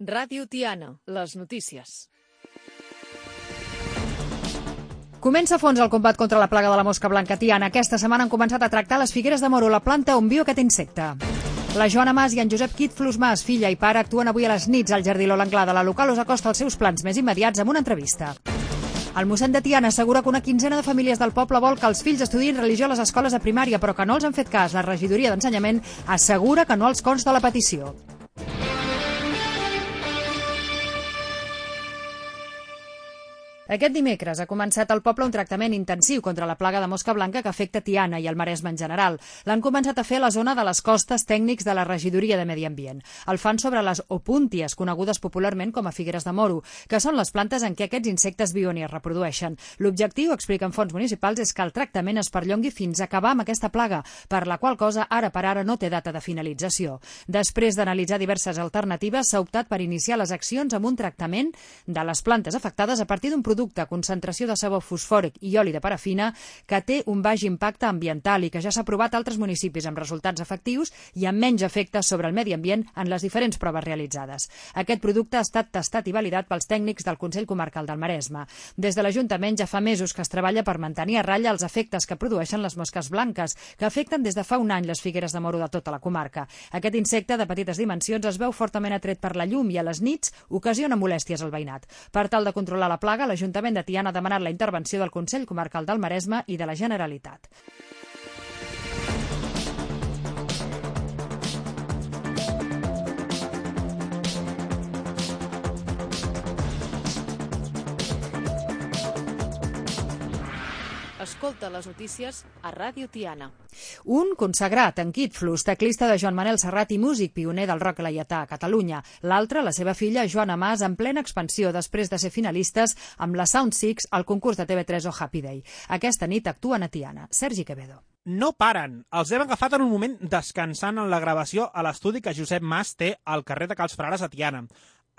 Ràdio Tiana, les notícies. Comença a fons el combat contra la plaga de la mosca blanca a Tiana. Aquesta setmana han començat a tractar les figueres de moro, la planta on viu aquest insecte. La Joana Mas i en Josep Quitflus Mas, filla i pare, actuen avui a les nits al Jardí Lola Anglada. La local us acosta als seus plans més immediats amb una entrevista. El mossèn de Tiana assegura que una quinzena de famílies del poble vol que els fills estudiïn religió a les escoles de primària, però que no els han fet cas. La regidoria d'Ensenyament assegura que no els consta la petició. Aquest dimecres ha començat al poble un tractament intensiu contra la plaga de mosca blanca que afecta Tiana i el Maresme en general. L'han començat a fer a la zona de les costes tècnics de la regidoria de Medi Ambient. El fan sobre les opúnties, conegudes popularment com a figueres de moro, que són les plantes en què aquests insectes viuen i es reprodueixen. L'objectiu, expliquen fonts municipals, és que el tractament es perllongui fins a acabar amb aquesta plaga, per la qual cosa ara per ara no té data de finalització. Després d'analitzar diverses alternatives, s'ha optat per iniciar les accions amb un tractament de les plantes afectades a partir d'un producte concentració de sabó fosfòric i oli de parafina que té un baix impacte ambiental i que ja s'ha provat a altres municipis amb resultats efectius i amb menys efectes sobre el medi ambient en les diferents proves realitzades. Aquest producte ha estat testat i validat pels tècnics del Consell Comarcal del Maresme. Des de l'Ajuntament ja fa mesos que es treballa per mantenir a ratlla els efectes que produeixen les mosques blanques, que afecten des de fa un any les figueres de moro de tota la comarca. Aquest insecte de petites dimensions es veu fortament atret per la llum i a les nits ocasiona molèsties al veïnat. Per tal de controlar la plaga, l'Ajuntament de Tiana ha demanat la intervenció del Consell Comarcal del Maresme i de la Generalitat. Escolta les notícies a Ràdio Tiana. Un consagrat, en Quitflus, teclista de Joan Manel Serrat i músic pioner del rock laietà a Catalunya. L'altre, la seva filla, Joana Mas, en plena expansió després de ser finalistes amb la Sound Six al concurs de TV3 o Happy Day. Aquesta nit actuen a Tiana. Sergi Quevedo. No paren. Els hem agafat en un moment descansant en la gravació a l'estudi que Josep Mas té al carrer de Cals Frares a Tiana.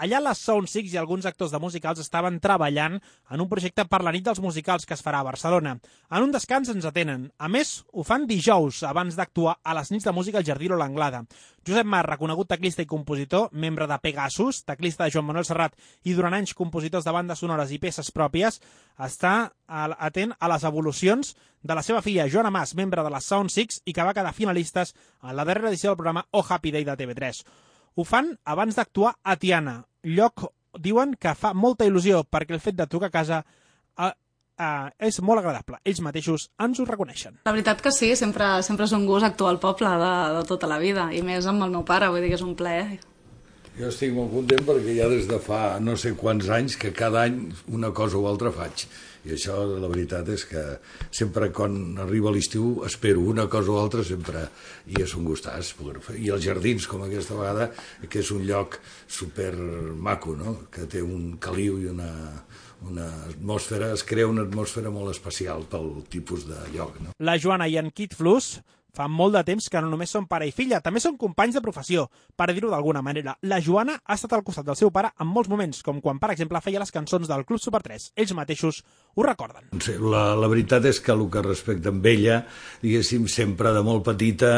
Allà les Sound Six i alguns actors de musicals estaven treballant en un projecte per la nit dels musicals que es farà a Barcelona. En un descans ens atenen. A més, ho fan dijous, abans d'actuar a les nits de música al Jardí Lola Anglada. Josep Mas, reconegut teclista i compositor, membre de Pegasus, teclista de Joan Manuel Serrat i durant anys compositors de bandes sonores i peces pròpies, està atent a les evolucions de la seva filla Joana Mas, membre de les Sound Six i que va quedar finalistes en la darrera edició del programa Oh Happy Day de TV3. Ho fan abans d'actuar a Tiana, lloc, diuen, que fa molta il·lusió perquè el fet de trucar a casa és molt agradable. Ells mateixos ens ho reconeixen. La veritat que sí, sempre és un gust actuar al poble de tota la vida, i més amb el meu pare, vull dir que és un plaer. Jo estic molt content perquè ja des de fa no sé quants anys que cada any una cosa o altra faig. I això, la veritat, és que sempre quan arriba l'estiu espero una cosa o altra sempre, i és un gustàs poder-ho fer. I els jardins, com aquesta vegada, que és un lloc super maco, no? Que té un caliu i una atmosfera, es crea una atmosfera molt especial pel tipus de lloc, no? La Joana i en Quitflus fa molt de temps que no només són pare i filla, també són companys de professió, per dir-ho d'alguna manera. La Joana ha estat al costat del seu pare en molts moments, com quan, per exemple, feia les cançons del Club Super 3. Ells mateixos ho recorden. Sí, la veritat és que el que respecta amb ella, diguéssim, sempre de molt petita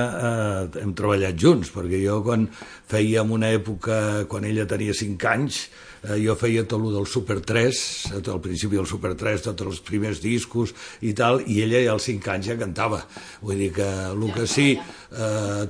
hem treballat junts, perquè jo quan fèiem una època, quan ella tenia 5 anys, jo feia tot el del Super 3, al principi del Super 3, tots els primers discos i tal, i ella ja als 5 anys ja cantava. Vull dir que el que sí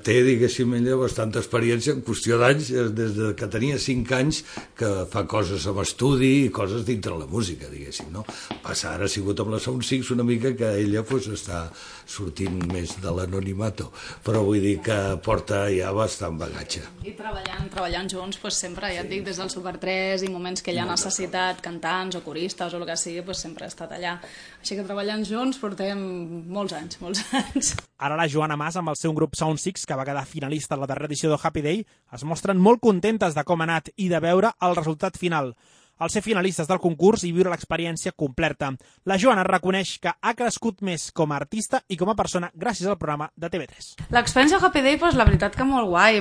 té, diguéssim, ella bastanta experiència en qüestió d'anys, des que tenia 5 anys, que fa coses amb estudi i coses dintre la música, diguéssim, no? Passa, ara ha sigut amb la Sound Six una mica que ella està sortint més de l'anonimato, però vull dir que porta ja bastant bagatge. I treballant junts, sempre, ja et dic, des del Super 3 i moments que ella ha necessitat cantants o coristes o el que sigui, sempre ha estat allà. Així que treballant junts portem molts anys. Ara la Joana Mas, amb el seu grup Sound Six, que va quedar finalista a la darrera edició de Happy Day, es mostren molt contentes de com ha anat i de veure el resultat final. Al ser finalistes del concurs i viure l'experiència completa. La Joana reconeix que ha crescut més com a artista i com a persona gràcies al programa de TV3. L'experiència Happy Day, la veritat que molt guai,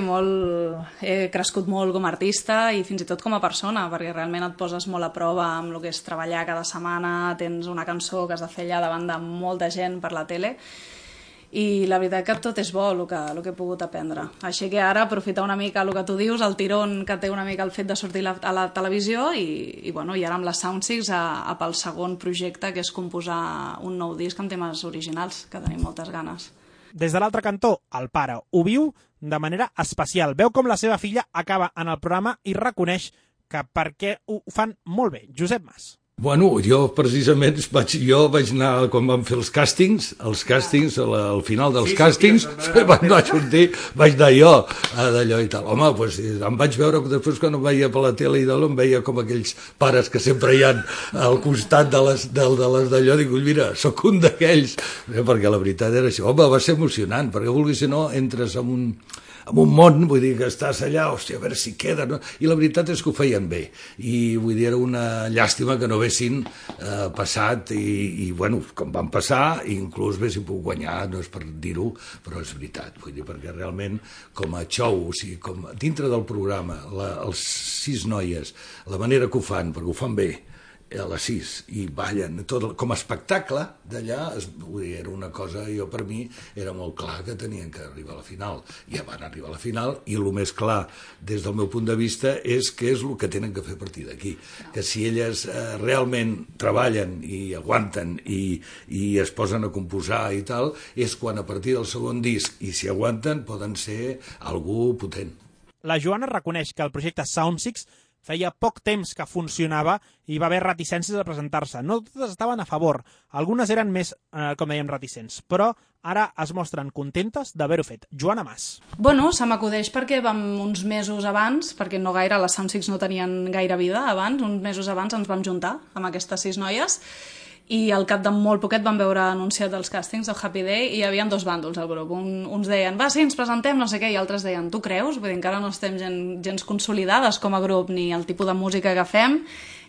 he crescut molt com a artista i fins i tot com a persona, perquè realment et poses molt a prova amb el que és treballar cada setmana, tens una cançó que has de fer allà davant de molta gent per la tele, i la veritat que tot és bo el que he pogut aprendre. Així que ara aprofitar una mica el que tu dius, el tirón que té una mica el fet de sortir a la televisió i ara amb la Sound6 pel segon projecte, que és composar un nou disc amb temes originals, que tenim moltes ganes. Des de l'altre cantó, el pare ho viu de manera especial. Veu com la seva filla acaba en el programa i reconeix que perquè ho fan molt bé. Josep Mas. Bueno, jo precisament vaig anar, quan vam fer els càstings, al final dels càstings, vaig anar jo d'allò i tal. Home, doncs em vaig veure, després quan em veia per la tele i d'allò, em veia com aquells pares que sempre hi ha al costat de les d'allò, dic, mira, sóc un d'aquells, perquè la veritat era això. Home, va ser emocionant, perquè vulguis si no, entres en un món, vull dir que estàs allà, hòstia, a veure si queda, no? I la veritat és que ho feien bé, i vull dir, era una llàstima que no haguessin passat, i bueno, com van passar, inclús haguessin pogut guanyar, no és per dir-ho, però és veritat, vull dir, perquè realment, com a show, o sigui, com dintre del programa, els 6 noies, la manera que ho fan, perquè ho fan bé, a les 6, i ballen, tot, com a espectacle d'allà, era una cosa, jo per mi era molt clar que tenien que arribar a la final, ja van arribar a la final, i el més clar des del meu punt de vista és què és el que tenen que fer a partir d'aquí, que si elles realment treballen i aguanten i es posen a composar i tal, és quan a partir del segon disc, i si aguanten, poden ser algú potent. La Joana reconeix que el projecte Sound6 feia poc temps que funcionava i va haver reticències a presentar-se. No totes estaven a favor, algunes eren més, com dèiem, reticents, però ara es mostren contentes d'haver-ho fet. Joana Mas. Bueno, se m'acudeix perquè vam uns mesos abans, perquè no gaire, les Sound6 no tenien gaire vida abans, uns mesos abans ens vam juntar amb aquestes 6 noies, i al cap de molt poquet vam veure anunciat els càstings del Happy Day i hi havia 2 bàndols al grup. Uns deien, va, sí, ens presentem, no sé què, i altres deien, tu creus? Vull dir, encara no estem gens consolidades com a grup, ni el tipus de música que fem,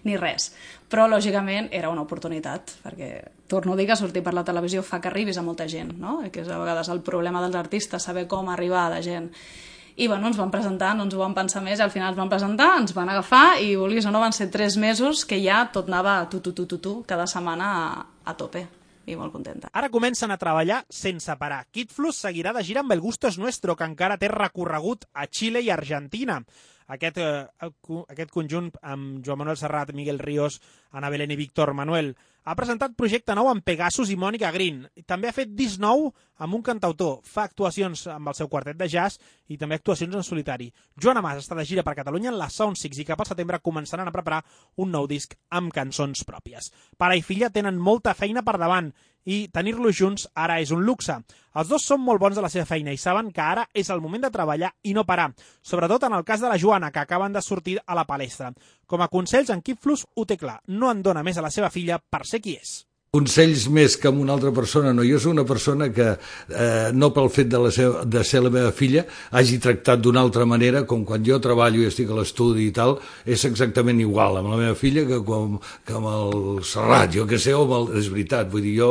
ni res. Però, lògicament, era una oportunitat, perquè, torno a dir que sortir per la televisió fa que arribis a molta gent, no? Que és a vegades el problema dels artistes, saber com arribar a la gent. I bueno, ens van presentar, no ens ho vam pensar més, i al final ens van presentar, ens van agafar, i vulguis o no, van ser 3 mesos que ja tot anava cada setmana a tope, i molt contenta. Ara comencen a treballar sense parar. Kid Flux seguirà de gira amb El Gusto es Nuestro, que encara té recorregut a Xile i Argentina. Aquest conjunt amb Joan Manuel Serrat, Miguel Ríos, Ana Belén i Víctor Manuel ha presentat projecte nou amb Pegasus i Mònica Green. També ha fet disc nou amb un cantautor. Fa actuacions amb el seu quartet de jazz i també actuacions en solitari. Joana Mas està de gira per Catalunya en la Sound6 i cap al setembre començaran a preparar un nou disc amb cançons pròpies. Pare i filla tenen molta feina per davant i tenir-los junts ara és un luxe. Els dos són molt bons de la seva feina i saben que ara és el moment de treballar i no parar, sobretot en el cas de la Joana, que acaben de sortir a la palestra. Com a consells, en Kid Flux ho té clar, no en dona més a la seva filla per ser qui és. Consells més que amb una altra persona, no. Jo soc una persona que, no pel fet de ser la meva filla, hagi tractat d'una altra manera, com quan jo treballo i estic a l'estudi i tal, és exactament igual amb la meva filla que amb el Serrat, jo què sé, és veritat, vull dir, jo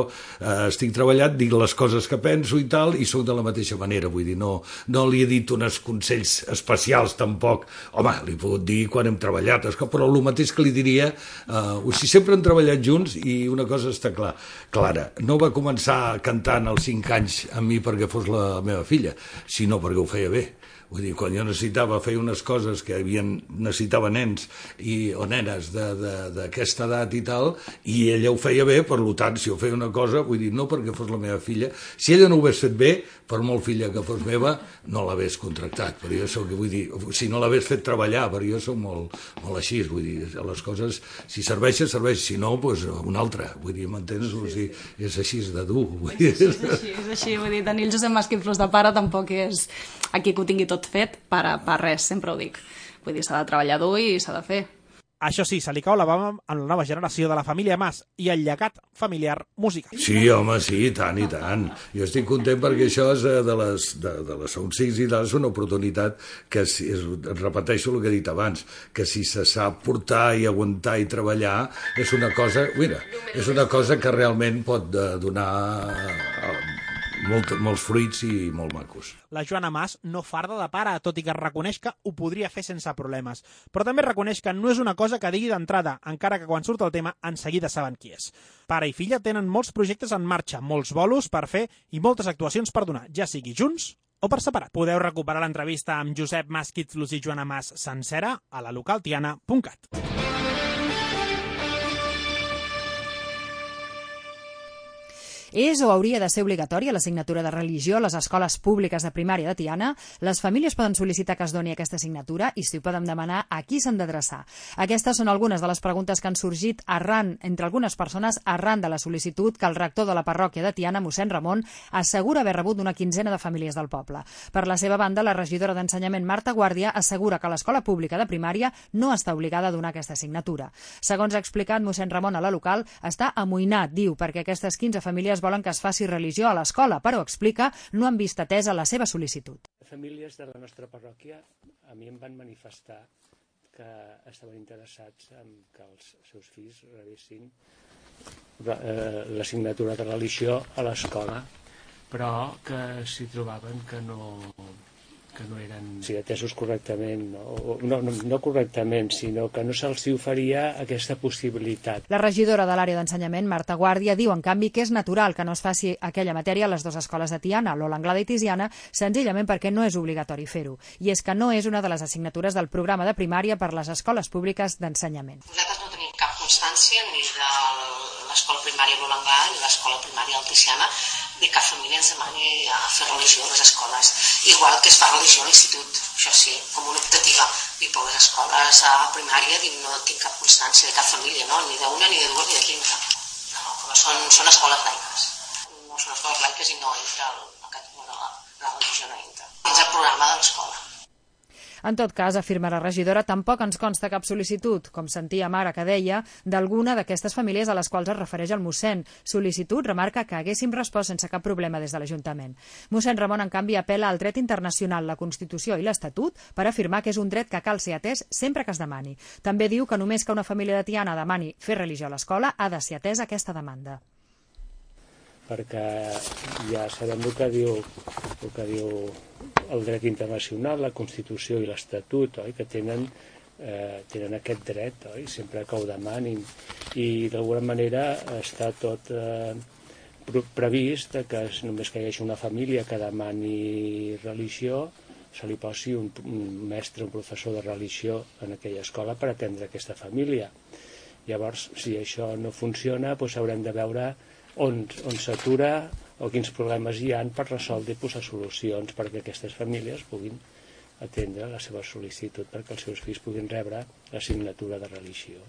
estic treballant, dic les coses que penso i tal, i sóc de la mateixa manera, vull dir, no li he dit uns consells especials tampoc, home, li he pogut dir quan hem treballat, però el mateix que li diria, si sempre hem treballat junts, i una cosa està clara, no va començar cantant als 5 anys amb mi perquè fos la meva filla, sinó perquè ho feia bé. Vull dir, quan jo necessitava fer unes coses que necessitava nens o nenes d'aquesta edat i tal, i ella ho feia bé, per tant, si ho feia una cosa, vull dir, no perquè fos la meva filla, si ella no ho hagués fet bé, per molt filla que fos meva, no l'hagués contractat, però jo soc, vull dir, si no l'hagués fet treballar, però jo soc molt així, vull dir, les coses, si serveixen, si no, doncs una altra, vull dir, m'entens? És així de dur. És així, vull dir, tenir el Josep Mas Kid Flux de pare tampoc és aquí que ho tingui tot fet per res, sempre ho dic. Vull dir, s'ha de treballar dur i s'ha de fer. Això sí, se li cau la bava en la nova generació de la família Mas i el llegat familiar musical. Sí, home, sí, i tant. Jo estic content perquè això és de les Sound6 i tal, és una oportunitat que, repeteixo el que he dit abans, que si se sap portar i aguantar i treballar, és una cosa que realment pot donar molts fruits i molt macos. La Joana Mas no farda de pare, tot i que reconeix que ho podria fer sense problemes. Però també reconeix que no és una cosa que digui d'entrada, encara que quan surt el tema en seguida saben qui és. Pare i filla tenen molts projectes en marxa, molts bolos per fer i moltes actuacions per donar, ja sigui junts o per separat. Podeu recuperar l'entrevista amb Josep Mas Quitflus i Joana Mas sencera a la localtiana.cat. És o hauria de ser obligatòria l'assignatura de religió a les escoles públiques de primària de Tiana? Les famílies poden sol·licitar que es doni aquesta assignatura i si ho poden demanar, a qui s'han d'adreçar? Aquestes són algunes de les preguntes que han sorgit entre algunes persones arran de la sol·licitud que el rector de la parròquia de Tiana, mossèn Ramon, assegura haver rebut d'una quinzena de famílies del poble. Per la seva banda, la regidora d'Ensenyament, Marta Guàrdia, assegura que l'escola pública de primària no està obligada a donar aquesta assignatura. Segons ha explicat mossèn Ramon a la local, està amoïnat, diu, perquè aquestes 15 famílies volen que es faci religió a l'escola, però explica no han vist atesa la seva sol·licitud. Famílies de la nostra parròquia a mi em van manifestar que estaven interessats en que els seus fills rebessin l'assignatura de religió a l'escola, però que s'hi trobaven que no eren atesos correctament, no correctament, sinó que no se'ls oferia aquesta possibilitat. La regidora de l'àrea d'ensenyament, Marta Guàrdia, diu en canvi que és natural que no es faci aquella matèria a les dues escoles de Tiana, l'Ola Anglada i Tiziana, senzillament perquè no és obligatori fer-ho. I és que no és una de les assignatures del programa de primària per les escoles públiques d'ensenyament. Nosaltres no tenim cap constància ni de l'escola primària l'Ola Anglada ni l'escola primària del Tiziana de cap família ens demani a fer religió a les escoles, igual que es fa religió a l'institut, això sí, com una optativa. I per les escoles a primària no tinc cap constància de cap família, no? Ni d'una, ni de dues, ni de 15. No, són escoles laiques. No són escoles laiques i no entra la religió, no entra. És el programa de l'escola. En tot cas, afirma la regidora, tampoc ens consta cap sol·licitud, com sentíem ara que deia, d'alguna d'aquestes famílies a les quals es refereix el mossèn. Sol·licitud remarca que haguéssim respost sense cap problema des de l'Ajuntament. Mossèn Ramon, en canvi, apel·la al dret internacional, la Constitució i l'Estatut per afirmar que és un dret que cal ser atès sempre que es demani. També diu que només que una família de Tiana demani fer religió a l'escola ha de ser atesa aquesta demanda. Perquè ja sabem el que diu el dret internacional, la Constitució i l'Estatut, que tenen aquest dret, sempre que ho demanin. I d'alguna manera està tot previst que només que hi hagi una família que demani religió, se li posi un mestre, un professor de religió en aquella escola per atendre aquesta família. Llavors, si això no funciona, doncs haurem de veure on s'atura o quins problemes hi ha per resoldre i posar solucions perquè aquestes famílies puguin atendre la seva sol·licitud perquè els seus fills puguin rebre l'assignatura de religió.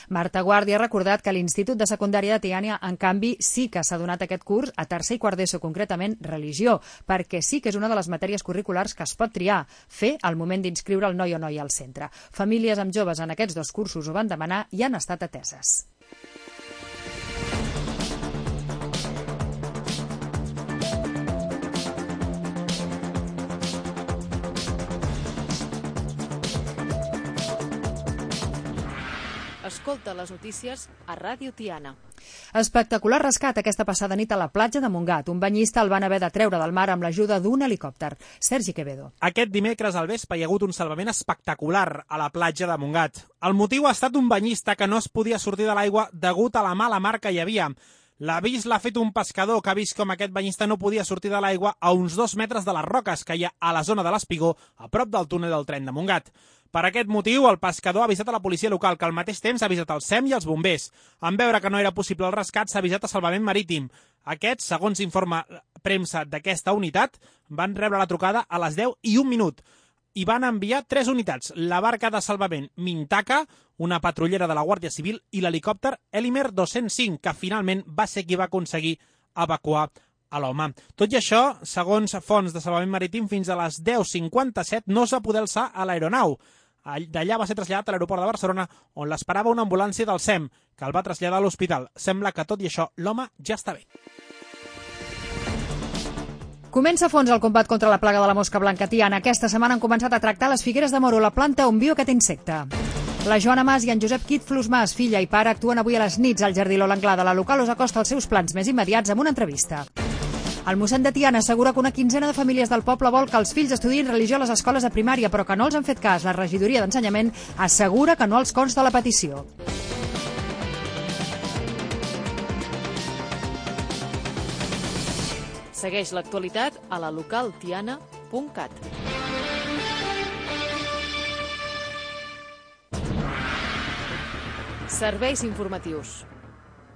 Marta Guàrdia ha recordat que l'Institut de Secundària de Tiana, en canvi, sí que s'ha donat aquest curs a tercer i quart d'ESO, concretament religió, perquè sí que és una de les matèries curriculars que es pot triar, fer al moment d'inscriure el noi o noia al centre. Famílies amb joves en aquests dos cursos ho van demanar i han estat ateses. Escolta les notícies a Ràdio Tiana. Espectacular rescat aquesta passada nit a la platja de Montgat. Un banyista el van haver de treure del mar amb l'ajuda d'un helicòpter. Sergi Quevedo. Aquest dimecres al vespre hi ha hagut un salvament espectacular a la platja de Montgat. El motiu ha estat un banyista que no es podia sortir de l'aigua degut a la mala mar que hi havia. L'avís l'ha fet un pescador que ha vist com aquest banyista no podia sortir de l'aigua a uns 2 metres de les roques que hi ha a la zona de l'Espigó, a prop del túnel del tren de Montgat. Per aquest motiu, el pescador ha avisat a la policia local, que al mateix temps ha avisat el SEM i els bombers. En veure que no era possible el rescat, s'ha avisat a Salvament Marítim. Aquests, segons informa premsa d'aquesta unitat, van rebre la trucada a les 10:01 i van enviar 3 unitats, la barca de salvament Mintaka, una patrullera de la Guàrdia Civil, i l'helicòpter Elimer 205, que finalment va ser qui va aconseguir evacuar a l'home. Tot i això, segons fonts de Salvament Marítim, fins a les 10:57 no es va poder alçar a l'aeronau. D'allà va ser traslladat a l'aeroport de Barcelona, on l'esperava una ambulància del SEM, que el va traslladar a l'hospital. Sembla que, tot i això, l'home ja està bé. Comença a fons el combat contra la plaga de la mosca blanca a Tiana. Aquesta setmana han començat a tractar les figueres de moro, la planta on viu aquest insecte. La Joana Mas i en Josep Quitflus Mas, filla i pare, actuen avui a les nits al Jardí L'Ola Anglada. La local us acosta els seus plans més immediats amb una entrevista. El mossèn de Tiana assegura que una quinzena de famílies del poble vol que els fills estudiïn religió a les escoles de primària, però que no els han fet cas. La regidoria d'Ensenyament assegura que no els consta la petició. Segueix l'actualitat a la localtiana.cat. Serveis informatius.